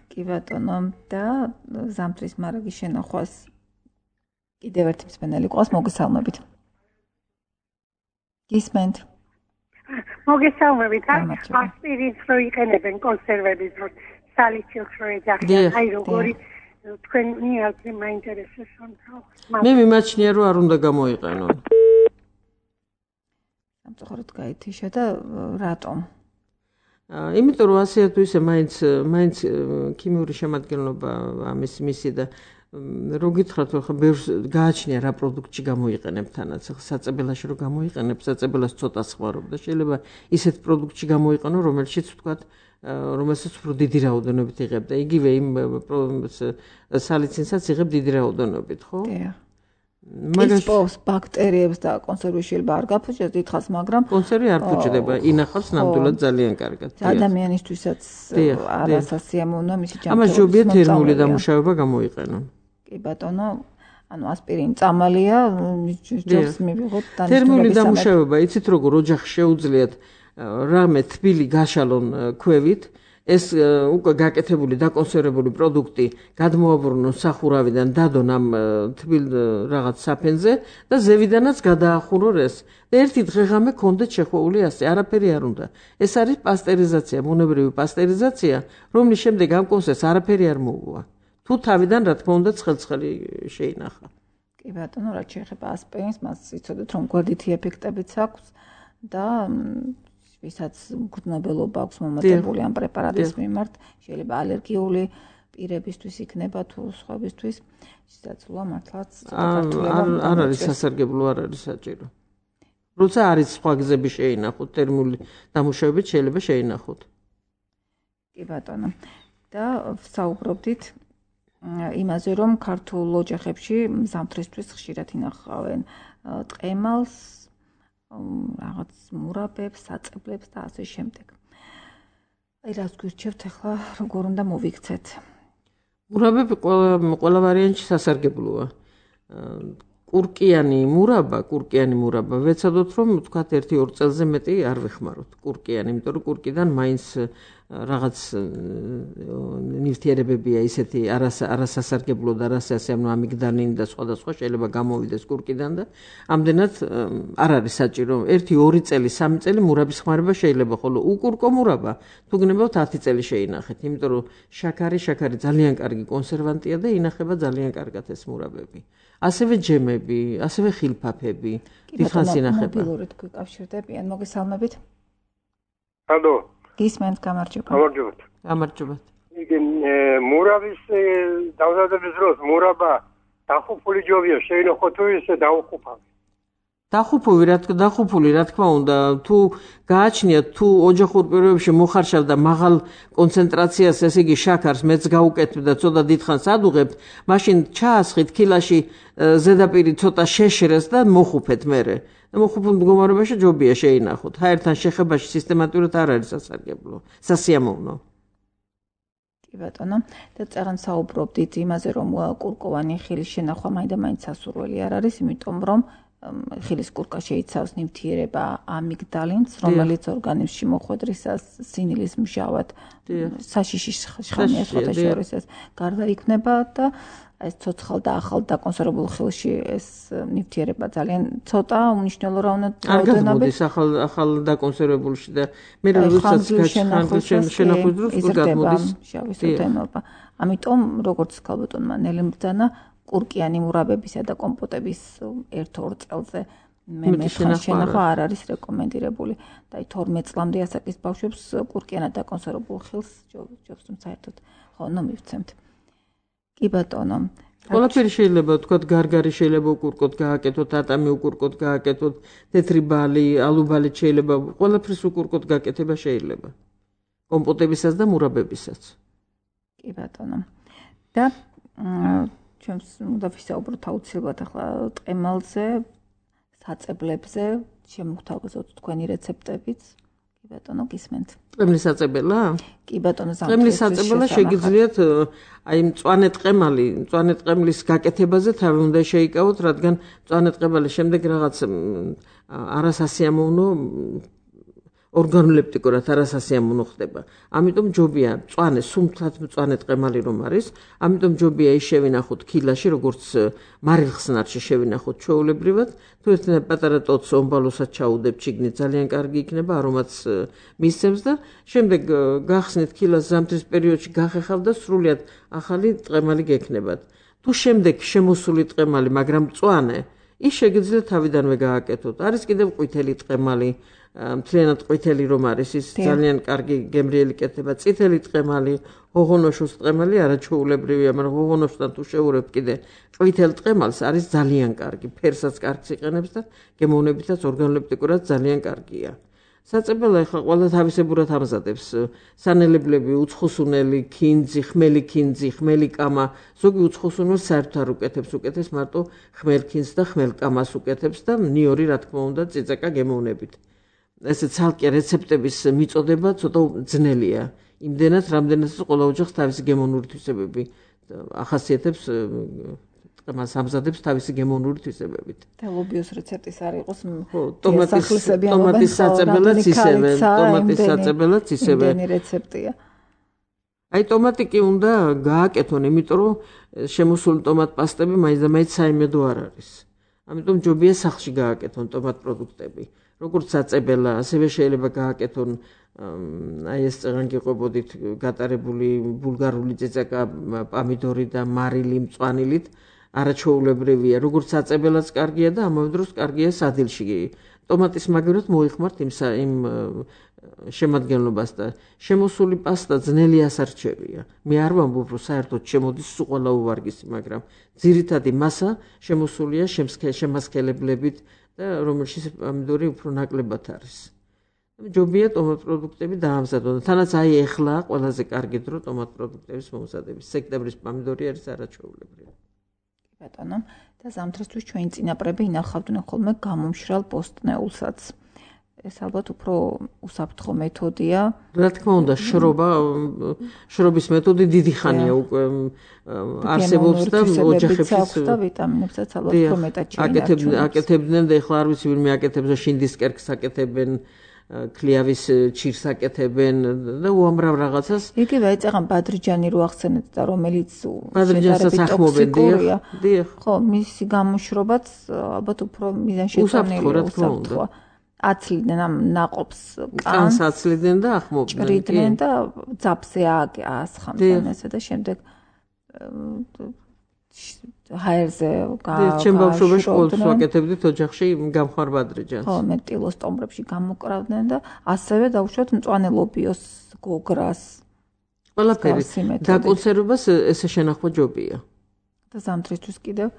კი ბატონო, და ზამთრის მარაგის შენახვას კიდევ ერთი მსმენელი ყავს, მოგესალმებით. გისმენთ. მოგესალმებით. ასპირინს რო იყენებენ კონსერვების დროს, სალიცილს რო ეძახიან, აი როგორი თქვენ მიალზე მაინტერესებს ამ. მე მიმაჩნია რომ არ უნდა გამოიყენონ. სამწუხაროდ გაითიშა და რატომ? იმიტომ რომ ასე თუ ისე მაინც მაინც ქიმიური შემადგენლობა ამის მისი და რო გითხრათ ხო ბევრს გააჩნია რა პროდუქტში გამოიყენებ თანაც ხო საწებელაში რო გამოიყენებ საწებელას ცოტა ხმარობ და შეიძლება ისეთ პროდუქტში გამოიყენო რომელშიც ვთქვათ რომელსაც უფრო დიდი რაოდენობით იღებ და იგივე იმ სალიცინსაც იღებ დიდი რაოდენობით ხო? დიახ. მაგას ბაქტერიებს და კონსერვი შეიძლება არ გაფუჭდეს დიდხანს, მაგრამ კონსერვი არ ფუჭდება, ინახავს ნამდვილად ძალიან კარგად. ადამიანისთვისაც არასასიამოვნოა მისი ჯანმრთელობის. ამას ჯობია თერმული დამუშავება გამოიყენონ. კი ბატონო, ანუ ასპირინი წამალია, ჯობს მივიღოთ და თერმული დამუშავება, იცით როგორ ოჯახში შეუძლიათ რამე თბილი გაშალონ ქვევით ეს უკვე გაკეთებული დაკონსერვებული პროდუქტი გადმოაბრუნონ სახურავიდან დადონ ამ თბილ რაღაც საფენზე და ზევიდანაც გადაახურონ ეს და ერთი დღეღამე კონდეთ შეხვეული ასე არაფერი არ უნდა ეს არის პასტერიზაცია ბუნებრივი პასტერიზაცია რომლის შემდეგ ამ კონსერვს არაფერი არ მოუვა თუ თავიდან რა თქმა უნდა ცხელ-ცხელი შეინახა კი ბატონო რაც შეეხება ასპირინს მას იცოდეთ რომ გვერდითი ეფექტებიც აქვს და ვისაც მგრძნობელობა აქვს მომატებული ამ პრეპარატის მიმართ, შეიძლება ალერგიული პირებისთვის იქნება თუ სხვებისთვის, შესაძლოა მართლაც არ არის სასარგებლო, არ არის საჭირო. როცა არის სხვა გზები შეინახოთ, თერმული დამუშავებით შეიძლება შეინახოთ. კი ბატონო. და ვსაუბრობდით იმაზე, რომ ქართულ ოჯახებში ზამთრისთვის ხშირად ინახავენ ტყემალს რაღაც მურაბებს, საწებლებს და ასე შემდეგ. აი რას გვირჩევთ ახლა, როგორ უნდა მოვიქცეთ? მურაბები ყველა ყველა ვარიანტში სასარგებლოა. კურკიანი მურაბა, კურკიანი მურაბა, ვეცადოთ რომ თქვათ ერთი ორ წელზე მეტი არ ვეხმაროთ კურკიანი, იმიტომ რომ კურკიდან მაინც რაღაც ნივთიერებებია ისეთი არასასარგებლო და არასასიამოვნო ამიგდალინი და სხვა და სხვა შეიძლება გამოვიდეს კურკიდან და ამდენად არ არის საჭირო. ერთი ორი წელი, სამი წელი მურაბის ხმარება შეიძლება, ხოლო უკურკო მურაბა თუ გნებავთ ათი წელი შეინახეთ, იმიტომ რომ შაქარი, შაქარი ძალიან კარგი კონსერვანტია და ინახება ძალიან კარგად ეს მურაბები. ასევე ჯემები, ასევე ხილფაფები, დიდხანს ინახება. მობილურით გვიკავშირდებიან, მოგესალმებით. ალო. გისმენთ, გამარჯობა. გამარჯობათ. გამარჯობათ. იგი მურაბის დავზადების დროს მურაბა დახუპული ჯობია, შეინახო თუ ისე დაუხუპავ. დახუფული რა თქმა დახუფული რა თქმა უნდა თუ გააჩნიათ თუ ოჯახურ პირობებში მოხარშავდა მაღალ კონცენტრაციას ესე იგი შაქარს მეც გაუკეთებ და ცოტა დიდხანს ადუღებთ მაშინ ჩაასხით ქილაში ზედაპირი ცოტა შეშრეს და მოხუფეთ მერე და მოხუფულ მდგომარეობაში ჯობია შეინახოთ ჰაერთან შეხებაში სისტემატურად არ არის სასარგებლო სასიამოვნო კი ბატონო და წერან საუბრობდით იმაზე რომ კურკოვანი ხილის შენახვა მაინდა-მაინც სასურველი არ არის იმიტომ რომ ხილის კურკა შეიცავს ნივთიერება ამიგდალინს, რომელიც ორგანიზმში მოხვედრისას სინილის მჟავად საშიშის შხამის ხოთაშორისას გარდა იქნება და ეს ცოცხალ და ახალ დაკონსერვებულ ხილში ეს ნივთიერება ძალიან ცოტა უმნიშვნელო რაოდენობით არის ახალ ახალ დაკონსერვებულში და მე როდესაც გაჩხარდა შენახვის დროს გაგმოდის შავის ოდენობა. ამიტომ როგორც ქალბატონმა ნელი მბრძანა კურკიანი მურაბებისა და კომპოტების ერთ-ორ წელზე მე შენახვა არ არის რეკომენდირებული და თორმეტ წლამდე ასაკის ბავშვებს კურკიანად დაკონსერვებულ ხილს ჯობს რომ საერთოდ ხო ნუ მივცემთ კი ბატონო ყველაფერი შეიძლება ვთქვათ გარგარი შეიძლება უკურკოთ გააკეთოთ ატამი უკურკოთ გააკეთოთ თეთრი ბალი ალუბალი შეიძლება ყველაფრის უკურკოთ გააკეთება შეიძლება კომპოტებისაც და მურაბებისაც კი ბატონო და ჩვენს უნდა ვისაუბროთ აუცილებლად ახლა ტყემალზე, საწებლებზე, შემოგთავაზოთ თქვენი რეცეპტებიც. კი ბატონო, გისმენთ. ტყემლის საწებელა? კი ბატონო, ტყემლის საწებელა შეგიძლიათ აი მწვანე ტყემალი, მწვანე ტყემლის გაკეთებაზე თავი უნდა შეიკავოთ, რადგან მწვანე ტყემალის შემდეგ რაღაც არასასიამოვნო ორგანოლეპტიკურად არასასიამოვნო ხდება. ამიტომ ჯობია მწვანე, სუმთლად მწვანე ტყემალი რომ არის, ამიტომ ჯობია ის შევინახოთ ქილაში, როგორც მარილხსნარში შევინახოთ ჩვეულებრივად. თუ ერთ პატარა ტოტს ომბალოსაც ჩაუდებ ჩიგნით, ძალიან კარგი იქნება, არომატს მისცემს და შემდეგ გახსნით ქილას ზამთრის პერიოდში გახეხავთ და სრულიად ახალი ტყემალი გექნებათ. თუ შემდეგ შემოსული ტყემალი, მაგრამ მწვანე, ის შეგიძლიათ თავიდანვე გააკეთოთ. არის კიდევ ყვითელი ტყემალი მთლიანად ყვითელი რომ არის ის ძალიან კარგი გემრიელი კეთება წითელი ტყემალი ღოღონოშოს ტყემალი არაჩვეულებრივია მაგრამ ღოღონოშთან თუ შევურებთ კიდე ყვითელ ტყემალს არის ძალიან კარგი ფერსაც კარგს იყენებს და გემოვნებითაც ორგანოლეპტიკურად ძალიან კარგია საწებელა ახლა ყველა თავისებურად ამზადებს სანელებლები უცხოსუნელი ქინძი ხმელი ქინძი ხმელი კამა ზოგი უცხოსუნელს საერთოდ არ უკეთებს უკეთებს მარტო ხმელ ქინძს და ხმელ კამას უკეთებს და ნიორი რა თქმა უნდა წიწაკა გემოვნებით ესე ცალკე რეცეპტების მიწოდება ცოტა ძნელია. იმდენად, რამდენადაც ყველა ოჯახს თავისი გემოვნური თვისებები ახასიათებს ტყემალს ამზადებს თავისი გემოვნური თვისებებით. და ლობიოს რეცეპტის არ იყოს ტომატის ტომატის საწებელაც ისევე, ტომატის საწებელაც ისევე. იმდენი რეცეპტია. აი ტომატი კი უნდა გააკეთონ, იმიტომ რომ შემოსული ტომატ პასტები მაინც და მაინც საიმედო არ არის. ამიტომ ჯობია სახლში გააკეთონ ტომატ პროდუქტები. როგორც საწებელა, ასევე შეიძლება გააკეთონ აი ეს წეგან გიყვებოდით გატარებული ბულგარული წიწაკა, პამიდორი და მარილი მწვანილით, არაჩვეულებრივია. როგორც საწებელაც კარგია და ამავე დროს კარგია სადილში. ტომატის მაგივრად მოიხმართ იმ იმ შემადგენლობას და შემოსული პასტა ძნელი ასარჩევია. მე არ ვამბობ, რომ საერთოდ შემოდის სულ ყველა უვარგისი, მაგრამ ძირითადი მასა შემოსულია შემასქელებლებით და რომელშიც პამიდორი უფრო ნაკლებად არის. ჯობია ტომატ პროდუქტები დაამზადონ. თანაც აი ეხლა ყველაზე კარგი დრო ტომატ პროდუქტების მომზადების. სექტემბრის პამიდორი არის არაჩვეულებრივი. ბატონო, და ზამთრისთვის ჩვენი წინაპრები ინახავდნენ ხოლმე გამომშრალ პოსტნეულსაც. ეს ალბათ უფრო უსაფრთხო მეთოდია. რა თქმა უნდა, შრობა, შრობის მეთოდი დიდი ხანია უკვე არსებობს და ოჯახებში და ვიტამინებსაც ალბათ უფრო მეტად აკეთებდნენ, აკეთებდნენ და ეხლა არ ვიცი ვინმე აკეთებს და შინდის კერქს აკეთებენ, ქლიავის ჩირს აკეთებენ და უამრავ რაღაცას. იგივე ეწაღან ბადრიჯანი რო ახსენეთ და რომელიც ბადრიჯანსაც ახმობენ, დიახ. ხო, მისი გამოშრობაც ალბათ უფრო მიზანშეწონილია, უსაფრთხოა. აცლიდნენ ამ ნაყოფს კანს აცლიდნენ და ახმობდნენ ჭრიდნენ და ძაბზე აასხამდნენ ესე და შემდეგ ჰაერზე გა ჩემ ბავშვობაში ყოველთვის ვაკეთებდით ოჯახში გამხარ ბადრიჯანს ხო მე ტილოს ტომბრებში გამოკრავდნენ და ასევე დავუშვათ მწვანე ლობიოს გოგრას ყველაფერი დაკონსერვებას ესე შენახვა ჯობია და ზამთრისთვის კიდევ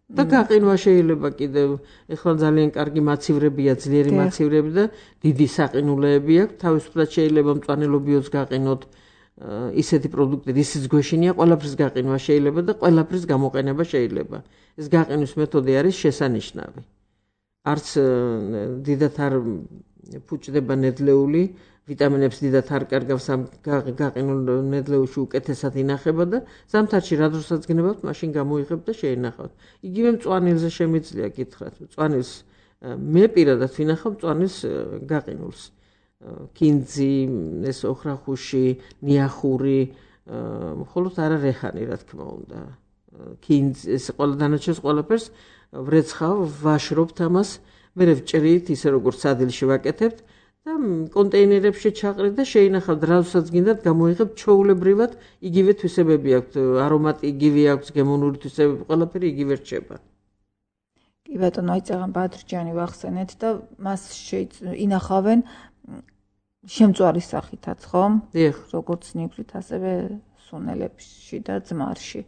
და გაყინვა შეიძლება კიდევ ეხლა ძალიან კარგი მაცივრებია, ძლიერი მაცივრები და დიდი საყინულეები აქვს. თავისუფლად შეიძლება მწვანელობიოს გაყინოთ ისეთი პროდუქტები, ისიც გვეშინია, ყველაფრის გაყინვა შეიძლება და ყველაფრის გამოყენება შეიძლება. ეს გაყინვის მეთოდი არის შესანიშნავი. არც დიდად არ ფუჭდება ნედლეული, ვიტამინებს დიდად არ კარგავს ამ გაყინულ ნედლეულში უკეთესად ინახება და ზამთარში რა დროსაც გნებავთ, მაშინ გამოიღებთ და შეინახავთ. იგივე მწვანილზე შემიძლია გითხრათ. მწვანილს მე პირადად ვინახავ მწვანილს გაყინულს. კინძი, ეს ოხრახუში, ნიახური, მხოლოდ არა რეჰანი, რა თქმა უნდა. კინძი, ეს ყველა დანარჩენს ყველაფერს ვრეცხავ, ვაშრობთ ამას, მე ვჭრით ისე როგორც სადილში ვაკეთებთ და კონტეინერებში ჩაყრით და შეინახავთ, რასაც გინდათ გამოიღებთ ჩვეულებრივად, იგივე თვისებები აქვს, არომატი იგივე აქვს, გემონური თვისებები, ყველაფერი იგივე რჩება. კი ბატონო, აი წაღან ბადრჯანი ვახსენეთ და მას ინახავენ შემწვარის სახითაც, ხო? დიახ. როგორც ნიგვით, ასევე სუნელებში და ძმარში.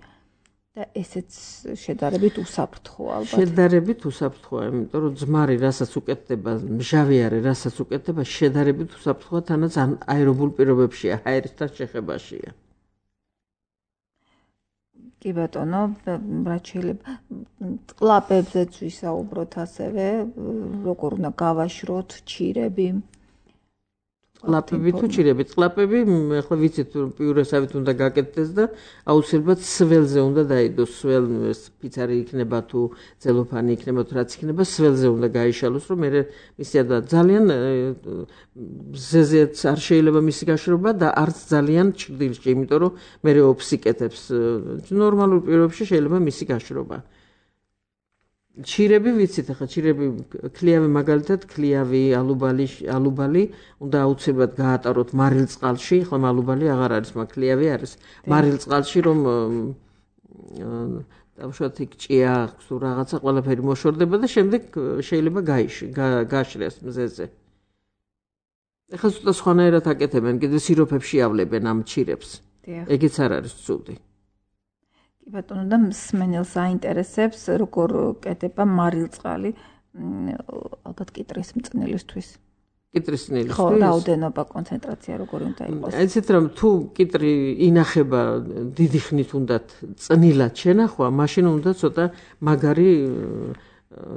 და ესეც შედარებით უსაფრთხოა ალბათ. შედარებით უსაფრთხოა, იმიტომ რომ ძმარი რასაც უკეთდება, მჟავი არის, რასაც უკეთდება, შედარებით უსაფრთხოა, თანაც აერობულ პირობებშია, ჰაერისთან შეხებაშია. კი ბატონო, რაც შეიძლება ტყლაპებზეც ვისაუბროთ ასევე, როგორ უნდა გავაშროთ ჩირები. ტყლაპები თუ ჩირები, ტყლაპები, ახლა ვიცით პიურესავით უნდა გაკეთდეს და აუცილებლად სველზე უნდა დაიდოს, სველ ფიცარი იქნება თუ ცელოფანი იქნება თუ რაც იქნება, სველზე უნდა გაიშალოს, რომ მე მისია და ძალიან ზეზეც არ შეიძლება მისი გაშრობა და არც ძალიან ჩრდილში, იმიტომ რომ მე ოფსიკეთებს. ნორმალურ პირობებში შეიძლება მისი გაშრობა. ჩირები ვიცით, ახლა ჩირები ქლიავი მაგალითად, ქლიავი, ალუბალი, ალუბალი უნდა აუცილებლად გაატაროთ მარილ წყალში, ახლა ალუბალი აღარ არის, მაგრამ ქლიავი არის. მარილ წყალში რომ დავუშვათ იქ ჭია აქვს თუ რაღაცა ყველაფერი მოშორდება და შემდეგ შეიძლება გააშრეს მზეზე. ახლა ცოტა სხვანაირად აკეთებენ, კიდე სიროფებში ავლებენ ამ ჩირებს. ეგეც არ არის ცუდი. ბატონო და მსმენელს აინტერესებს როგორ კეთება მარილწყალი ალბათ კიტრის მწნილისთვის. კიტრის მწნილისთვის? ხო, რაოდენობა, კონცენტრაცია როგორი უნდა იყოს? ესეთ რომ თუ კიტრი ინახება დიდი ხნით უნდათ წნილად შენახვა, მაშინ უნდა ცოტა მაგარი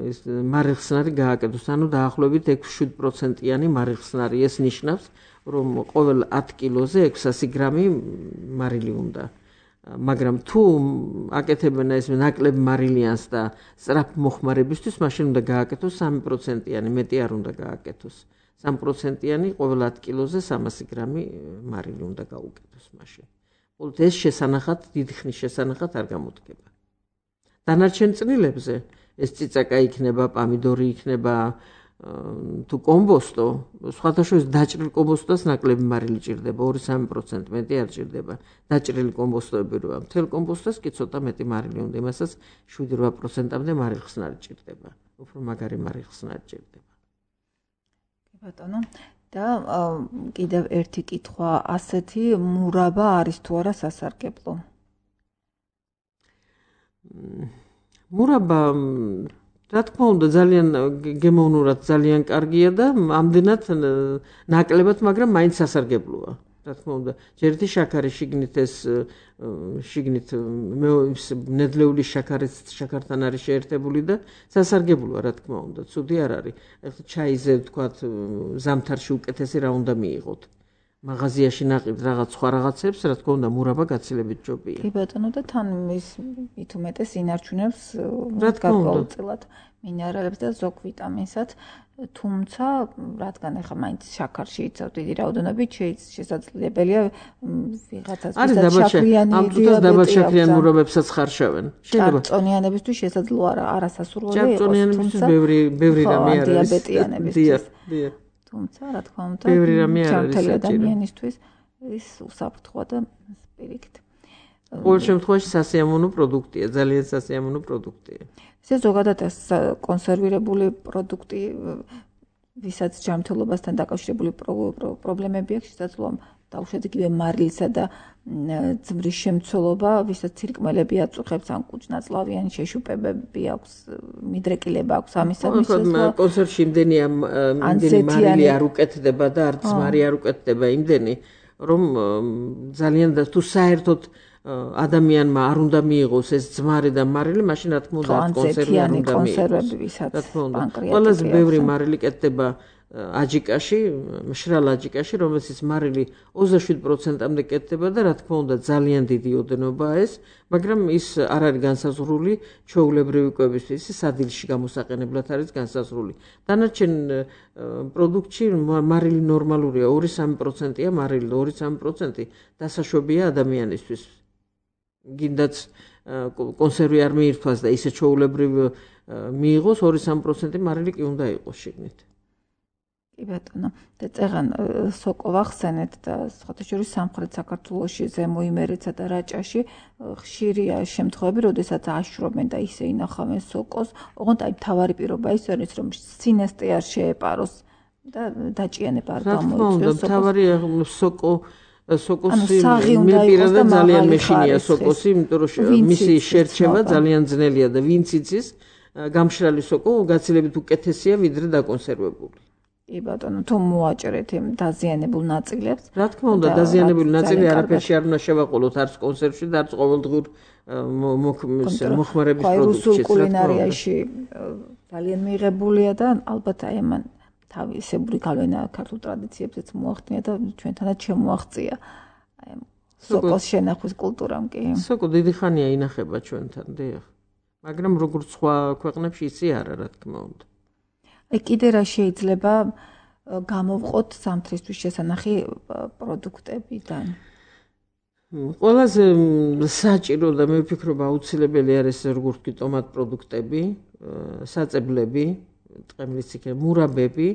ეს მარილხსნარი გააკეთოს, ანუ დაახლოებით ექვსი-შვიდი პროცენტიანი მარილხსნარი. ეს ნიშნავს, რომ ყოველ ათი კილოზე ექვსასი გრამი მარილი უნდა. მაგრამ თუ აკეთებენ ეს ნაკლებ მარილიანს და სწრაფ მოხმარებისთვის, მაშინ უნდა გააკეთოს სამი პროცენტიანი, მეტი არ უნდა გააკეთოს. სამი პროცენტიანი ყოველ ათი კილოზე სამასი გრამი მარილი უნდა გაუკეთოს მაშინ. მხოლოდ ეს შესანახად, დიდი ხნის შესანახად არ გამოდგება. დანარჩენ წნილებზე ეს წიწაკა იქნება, პამიდორი იქნება, თუ კომბოსტო, სხვათა შორის დაჭრილ კომბოსტოს ნაკლები მარილი ჭირდება, ორი-სამი პროცენტი, მეტი არ ჭირდება. დაჭრილი კომბოსტოები როა, მთელ კომბოსტოს კი ცოტა მეტი მარილი უნდა, იმასაც შვიდი-რვა პროცენტამდე მარილხსნარი ჭირდება. უფრო მაგარი მარილხსნარი ჭირდება. კი ბატონო, და კიდევ ერთი კითხვა, ასეთი მურაბა არის თუ არა სასარგებლო? მურაბა რა თქმა უნდა ძალიან გემოვნურად ძალიან კარგია და ამდენად ნაკლებად, მაგრამ მაინც სასარგებლოა. რა თქმა უნდა, ჯერეთი შაქარი შიგნით ეს შიგნით ნედლეული შაქარიც შაქართან არის შეერთებული და სასარგებლოა, რა თქმა უნდა, ცუდი არ არის. ეხლა ჩაიზე ვთქვათ ზამთარში უკეთესი რა უნდა მიიღოთ. მაღაზიაში ნაყიდ რაღაც სხვა რაღაცებს, რა თქმა უნდა, მურაბა გაცილებით ჯობია. კი ბატონო და თან ის მით უმეტეს ინარჩუნებს გარკვეულწილად მინერალებს და ზოგ ვიტამინსაც, თუმცა რადგან ახლა მაინც შაქარში იცავ დიდი რაოდენობით, შესაძლებელია ვიღაცას შაქრიანი ამტკიცებს დაბალშაქრიან მურაბებსაც ხარშავენ. შეიძლება ჭარბწონიანებისთვის შესაძლოა არასასურველი იყოს, ჭარბწონიანებისთვის ბევრი ბევრი რამე არის. დიაბეტიანებისთვის. დიახ. თუმცა რა თქმა უნდა, ჩართული ადამიანისთვის ის უსაფრთხოა და პირიქით. ყოველ შემთხვევაში სასიამოვნო პროდუქტია, ძალიან სასიამოვნო პროდუქტია. ესე ზოგადად ეს კონსერვირებული პროდუქტი, ვისაც ჯანმრთელობასთან დაკავშირებული პრობლემები აქვს, შესაძლოა დაუშვათ იგივე მარილისა და ძმრის შემცველობა, ვისაც ცირკმელები აწუხებს ან კუჭნაწლავიანი შეშუპებები აქვს, მიდრეკილება აქვს ამისამის. კონსერვში იმდენია იმდენი მარილი არ უკეთდება და არც ძმარი არ უკეთდება იმდენი, რომ ძალიან და თუ საერთოდ ადამიანმა არ უნდა მიიღოს ეს ძმარი და მარილი, მაშინ რა თქმა უნდა არც კონსერვი არ უნდა მიიღოს. რა თქმა უნდა, ყველაზე ბევრი მარილი კეთდება აჯიკაში, მშრალ აჯიკაში, რომელსაც მარილი ოცდაშვიდ პროცენტამდე კეთდება და რა თქმა უნდა ძალიან დიდი ოდენობაა ეს, მაგრამ ის არ არის განსაზღვრული ჩვეულებრივი კვებისთვის, ის სადილში გამოსაყენებლად არის განსაზღვრული. დანარჩენ პროდუქტში მარილი ნორმალურია, ორი სამი პროცენტია მარილი, ორი სამი პროცენტი დასაშვებია ადამიანისთვის. გინდაც კონსერვი არ მიირთვას და ისე ჩვეულებრივ მიიღოს, ორი სამი პროცენტი მარილი კი უნდა იყოს შიგნით. კი ბატონო, და წეღან სოკო ვახსენეთ და სხვათა შორის სამხრეთ საქართველოში, ზემო იმერეთსა და რაჭაში ხშირია შემთხვევები, როდესაც აშრობენ და ისე ინახავენ სოკოს, ოღონდ აი მთავარი პირობა ის არის, რომ სინესტე არ შეეპაროს და დაჭიანება არ გამოიწვიოს. მთავარი სოკო სოკოსი მე პირადად ძალიან მეშინია სოკოსი, იმიტომ რომ მისი შერჩევა ძალიან ძნელია და ვინც იცის, გამშრალი სოკო გაცილებით უკეთესია ვიდრე დაკონსერვებული. კი ბატონო, თუ მოაჭრეთ იმ დაზიანებულ ნაწილებს. რა თქმა უნდა, დაზიანებული ნაწილი არაფერში არ უნდა შევაყოლოთ, არც კონსერვში და არც ყოველდღიურ მოხმარების პროდუქტში. რუსულ კულინარიაში ძალიან მიღებულია და ალბათ აი ამან თავისებური გავლენა ქართულ ტრადიციებზეც მოახდინა და ჩვენთანაც შემოაღწია აი სოკოს შენახვის კულტურამ კი. სოკო დიდი ხანია ინახება ჩვენთან, დიახ. მაგრამ როგორც სხვა ქვეყნებში ისე არა, რა თქმა უნდა. აი კიდე რა შეიძლება გამოვყოთ ზამთრისთვის შესანახი პროდუქტებიდან? ყველაზე საჭირო და მე ვფიქრობ აუცილებელი არის როგორც კი ტომატ პროდუქტები, საწებლები, ტყემლის იქნება მურაბები,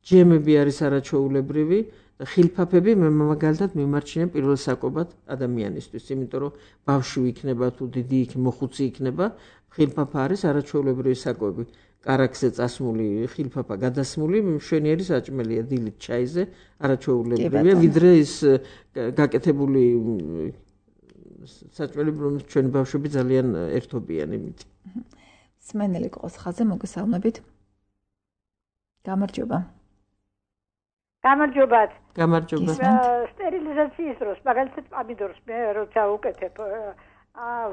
ჯემები არის არაჩვეულებრივი და ხილფაფები მე მაგალითად მიმარჩინებ პირველ საკობად ადამიანისთვის, იმიტომ რომ ბავშვი იქნება თუ დიდი იქ მოხუცი იქნება, ხილფაფა არის არაჩვეულებრივი საკობი. კარაქზე წასმული ხილფაფა გადასმული მშვენიერი საჭმელია დილით ჩაიზე, არაჩვეულებრივია, ვიდრე ის გაკეთებული საჭმელი, რომელიც ჩვენი ბავშვები ძალიან ერთობიან იმით. სმენელი ყოს ხაზე მოგესალმებით. გამარჯობა. გამარჯობათ. გამარჯობა. სტერილიზაციის დროს მაგალითად პამიდორს მე როცა უკეთებ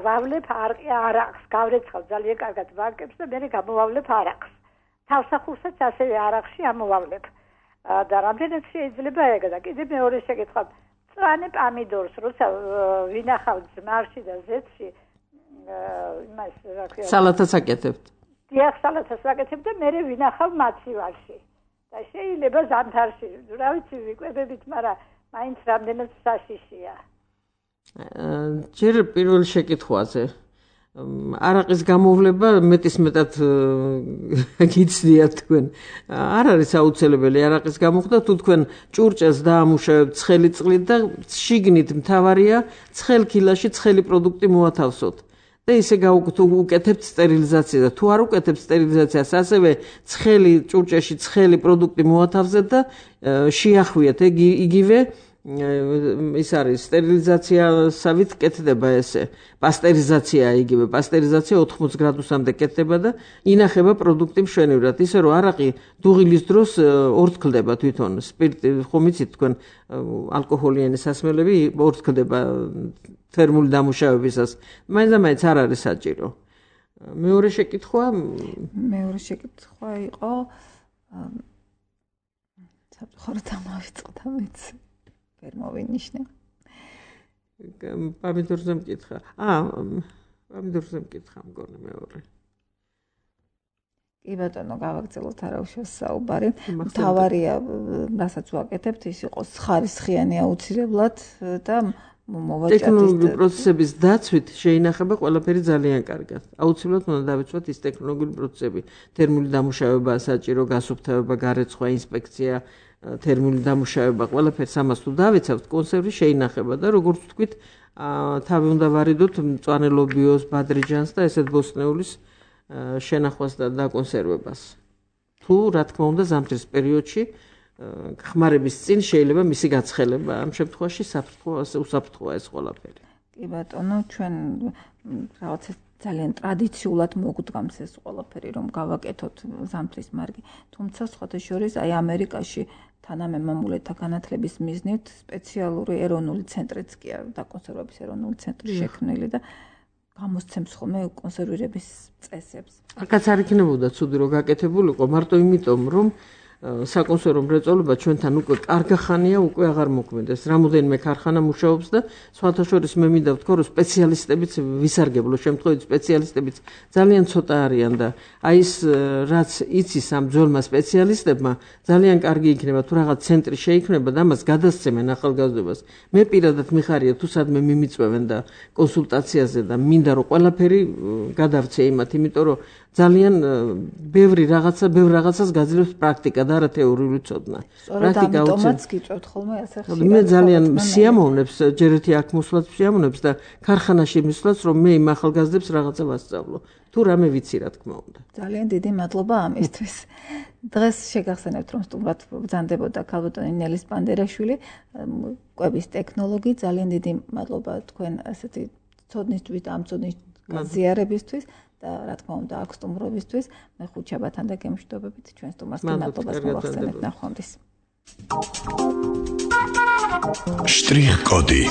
ვავლებ არაყს, გავრეცხავ ძალიან კარგად ვარკებს და მე გამოვავლებ არაყს. თავსახურსაც ასევე არაყში ამოვავლებ. და რამდენად შეიძლება ეგა და კიდე მეორე შეკითხვა, მწვანე პამიდორს როცა ვინახავ ძმარში და ზეთში, იმას რა ქვია, სალათას აკეთებთ. დიახ, სალათას ვაკეთებ და მე ვინახავ მაცივარში. და შეიძლება ზამთარში, რა ვიცი, ვიკვებებით, მაგრამ მაინც რამდენად საშიშია. ჯერ პირველ შეკითხვაზე არაყის გამოვლება მეტის მეტად გიცდიათ თქვენ. არ არის აუცილებელი არაყის გამოხდა, თუ თქვენ ჭურჭელს დაამუშავებთ ცხელი წყლით და შიგნით მთავარია ცხელ ქილაში ცხელი პროდუქტი მოათავსოთ. და ისე გაუკეთებთ სტერილიზაციას და თუ არ უკეთებთ სტერილიზაციას, ასევე ცხელი ჭურჭელში ცხელი პროდუქტი მოათავსეთ და შეახვიეთ იგივე ის არის სტერილიზაციასავით კეთდება ესე. პასტერიზაცია იგივე, პასტერიზაცია ოთხმოც გრადუსამდე კეთდება და ინახება პროდუქტი მშვენივრად. ისე რომ არაყი დუღილის დროს ორთქლდება თვითონ, სპირტი ხომ იცით თქვენ ალკოჰოლიანი სასმელები ორთქლდება თერმული დამუშავებისას. მაინც და მაინც არ არის საჭირო. მეორე შეკითხვა? მეორე შეკითხვა იყო საფრთხოდ ამავიწყდა მეც. ვერ მოვინიშნე. პამიდორზე მკითხა. აა, პამიდორზე მკითხა მგონი მეორე. კი ბატონო, გავაგრძელოთ არაუშავს საუბარი. მთავარია, რასაც ვაკეთებთ, ის იყოს ხარისხიანი აუცილებლად და მოვაჭრეთ. ტექნოლოგიური პროცესების დაცვით შეინახება ყველაფერი ძალიან კარგად. აუცილებლად უნდა დავიცვათ ის ტექნოლოგიური პროცესები, თერმული დამუშავება, საჭირო გასუფთავება, გარეცხვა, ინსპექცია, თერმული დამუშავება, ყველაფერს ამას თუ დავიცავთ, კონსერვი შეინახება და როგორც ვთქვით, თავი უნდა ვარიდოთ მწვანე ლობიოს, ბადრიჯანს და ესეთ ბოსტნეულის შენახვას და დაკონსერვებას. თუ რა თქმა უნდა ზამთრის პერიოდში ხმარების წინ შეიძლება მისი გაცხელება. ამ შემთხვევაში საფრთხეა, უსაფრთხოა ეს ყველაფერი. კი ბატონო, ჩვენ რაღაც ძალიან ტრადიციულად მოგვდგამს ეს ყველაფერი, რომ გავაკეთოთ ზამთრის მარგი. თუმცა სხვათა შორის აი ამერიკაში თანამემამულეთა განათლების მიზნით სპეციალური ეროვნული ცენტრიც კი არის, დაკონსერვების ეროვნული ცენტრი შექმნილი და გამოსცემს ხოლმე კონსერვირების წესებს. აქაც არ იქნებოდა ცუდი რომ გაკეთებულიყო, მარტო იმიტომ რომ საკონსერვო მრეწველობა ჩვენთან უკვე კარგი ხანია უკვე აღარ მოქმედებს. რამოდენიმე ქარხანა მუშაობს და სხვათა შორის მე მინდა ვთქვა, რომ სპეციალისტებიც ვისარგებლო შემთხვევით სპეციალისტებიც ძალიან ცოტა არიან და აი ეს რაც იცის ამ ძველმა სპეციალისტებმა ძალიან კარგი იქნება თუ რაღაც ცენტრი შეიქმნება და ამას გადასცემენ ახალგაზრდობას. მე პირადად მიხარია თუ სადმე მიმიწვევენ და კონსულტაციაზე და მინდა რომ ყველაფერი გადავცე იმათ, იმიტომ რომ ძალიან ბევრი რაღაცა, ბევრ რაღაცას გაძლევს პრაქტიკა და არა თეორიული ცოდნა. პრაქტიკა უწევს გიწევთ ხოლმე ასე ხშირად. მე ძალიან სიამოვნებს, ჯერ ერთი აქ მოსვლაც სიამოვნებს და ქარხანაში მისვლაც, რომ მე იმ ახალგაზრდებს რაღაცა ვასწავლო. თუ რამე ვიცი, რა თქმა უნდა. ძალიან დიდი მადლობა ამისთვის. დღეს შეგახსენებთ, რომ სტუმრად ბრძანდებოდა ქალბატონი ნელი სპანდერაშვილი, კვების ტექნოლოგი. ძალიან დიდი მადლობა თქვენ ასეთი ცოდნისთვის და ამ ცოდნის გაზიარებისთვის. და რა თქმა უნდა აქ სტუმრობისთვის მე ხუჩაბათან და გემშვიდობებით ჩვენ სტუმარს მადლობას მოვახსენებთ ნახვამდის. შტრიხ კოდი